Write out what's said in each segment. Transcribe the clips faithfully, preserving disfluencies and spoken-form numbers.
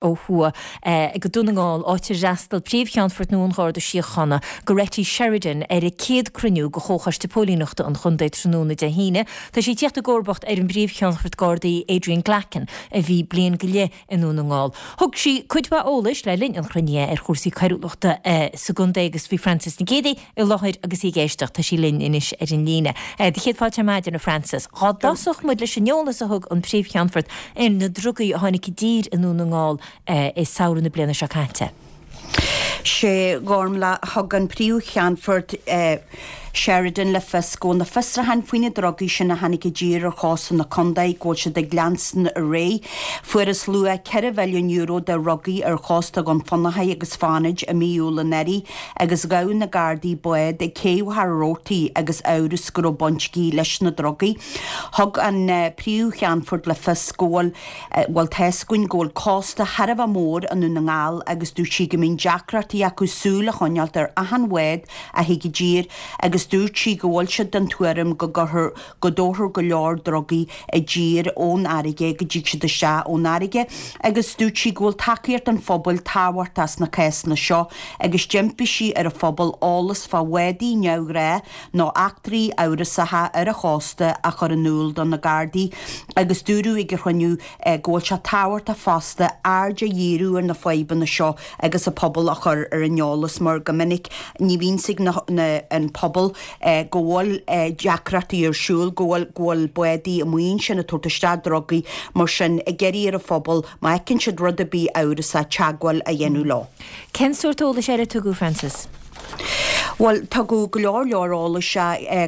Ó thuaidh go Dún na nGall, áit ar fhreastail Príomh-Cheannfort nua an Gharda Síochána, Goretti Sheridan, ar a céad cruinniú de Chomhchoiste Póilíneachta an Chontae tráthnóna Dé hAoine. Tá sí ag tíocht i gcomharbacht ar an bPríomh-Cheannfort Gardaí Adrian Glackin, a bhí bliain go leith i nDún na nGall. Thug sí cuid mhaith eolais le linn an chruinnithe ar chúrsaí coiriúlachta sa gcontae agus bhí Frances Nic Géadaigh i láthair agus í ag éisteacht. Tá sí linn anois ar an líne. Do chéad fáilte ar maidin, a Frances. Dhá dtosódh muid leis an eolas a thug an Príomh-Cheannfort ar na drugaí a tháinig i dtír i nDún na nGall i samhradh na bliana seo caite. Sea, a Ghormfhlaith, thug an Príomh-Cheannfort Sheridan le fios go bhfuil na fiosrúcháin faoi na drugaí sin a tháinig i dtír ar chósta na contae, go bhfuil siad ag leanstan ar aghaidh. Fuarthas luach ceithre mhilliún euro de dhrugaí ar chósta Dhún Fionnachaidh agus Fánaid i mí Iúil anuraidh agus ghabh na Gardaí bád ag Cé Mhachaire Rabhartaigh agus amhras go raibh baint aici leis na drugaí. Thug an Príomh-Cheannfort le fios go bhfuil bhuel tá fhios againn go bhfuil cósta thar a bheith mór i nDún na nGall agus dúirt sí go mbíonn deacrachtaí acu súil a choinneáilt ar achan bhád a thig i dtír agus dúirt sí go bhfuil siad den tuairim go gcuirfear, go dtabharfar go leor drugaí i dtír ón fharraige, go dtig siad isteach ón fharraige agus dúirt sí go bhfuil tacaíocht an phobail tábhachtach sna cásanna seo agus d'impigh sí ar an phobal eolas fá bhádaí neamhghnácha nó eachtraí amhrasacha ar an chósta a chur in iúl do na Gardaí agus dúradh ag an chruinniú go bhfuil sé tábhachtach fosta aird a dhíriú ar na fadhbanna seo agus an pobal a chur ar an eolas mar go minic ní bhíonn fhios ag na an pobal go bhfuil deacrachtaí ar siúl, go bhfuil go bhfuil bádaí amuigh ansin ag tabhairt isteach drugaí mar sin ag iarraidh ar an phobal má fheiceann siad rud ar bith amhrasach teagmháil a dhéanamh leo. Cén sórt eolais eile a tugadh, Frances? Bhuel, tugadh go leor leor eolais.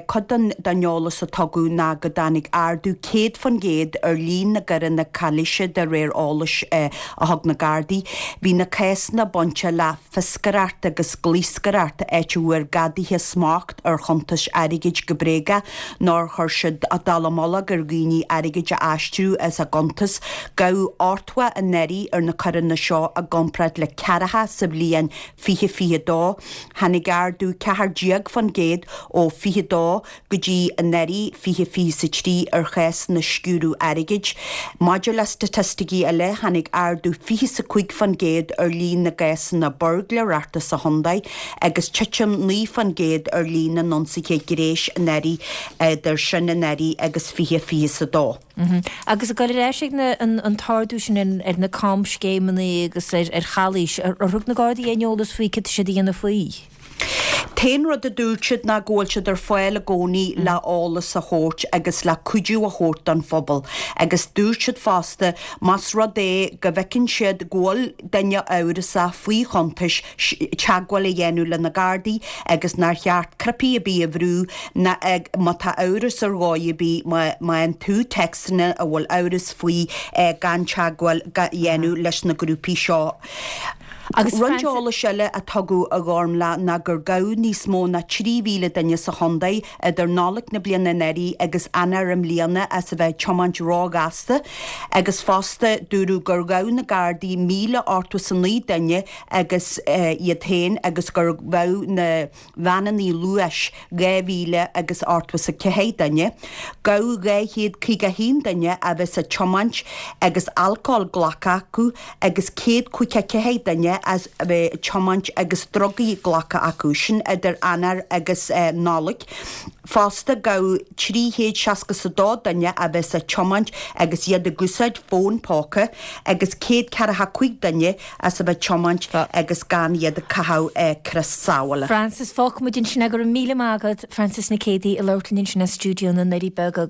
Cuid den den eolas a tugadh ná go dtáinig ardú céad faoin gcéad ar líon na gcoireanna calaoise de réir eolais a thug na Gardaí. Bhí na cásanna bainte le fioscaireacht agus glaoscaireacht, áit a bhfuair gadaithe smacht ar chuntais airgid go bréagach nó ar chuir siad dallamullóg ar dhaoine airgead a aistriú as a gcuntas. Gabhadh ochtó anuraidh ar na coireanna seo i gcomparáid le ceathracha sa bhliain fiche fiche dó. Tháinig ardú ceathair déag faoin gcéad ó fiche dó go dtí anuraidh, fiche fiche 's a trí, ar chásanna sciúradh airgid. Maidir le staitisticí eile, tháinig ardú fiche 's a cúig faoin gcéad ar líon na gcásanna buirgléireachta sa chontae agus titim naoi faoin gcéad ar líon na n-ionsaithe gnéis anuraidh, idir sin anuraidh agus fiche fiche 's a dó. Agus ag dul ar ais ag an t-ardú sin ar na camscéimeanna agus ar chalaois, ar thug na Gardaí aon eolas faoi cad tá siad a dhéanamh faoi? T-aon rud a dúirt siad ná go bhfuil siad ar fáil i gcónaí le eolas a thabhairt agus le cuidiú a thabhairt don phobal agus dúirt siad fosta más rud é go bhfeiceann siad go bhfuil duine amhrasach faoi chuntais, teagmháil a dhéanamh le na Gardaí agus nár cheart cnaipí ar bith a bhrú ná má tá amhras ar dhóigh ar bith má fhaigheann tú téacsanna a bhfuil amhras faoi gan teagmháil a dhéanamh leis na grúpaí seo. Agus Roinnt Frances. eolais eile a tugadh a Ghormfhlaith ná gur gabhadh níos mó ná trí mhíle duine sa chontae idir Nollaig na bliana anuraidh agus Eanáir i mbliana as a bheith ag tiomáint róghasta agus fosta dúradh gur ghabh na Gardaí míle ochtó 's a naoi duine agus iad féin agus gur ghabh na veaineanna luais dhá mhíle agus ochtó 's a ceathair duine. Gabhadh dhá chéad caoga a haon duine a bheith ag tiomáint agus alcól glactha acu agus céad caoga ceathair duine as a bheith ag tiomáint agus drugaí glactha acu, sin idir Eanáir agus Nollaig. Fosta, gabhadh trí chéad seasca 's a dó duine a bheith ag tiomáint agus iad ag úsáid fón póca agus céad ceathracha cúig duine as a bheith ag tiomáint agus gan iad ag caitheamh crios sábhála. Frances, fágfaidh muid ansin é. Go raibh míle maith agat, Frances Nic Géadaigh, ag labhairt linn ansin as stiúideo na nDoirí Beaga.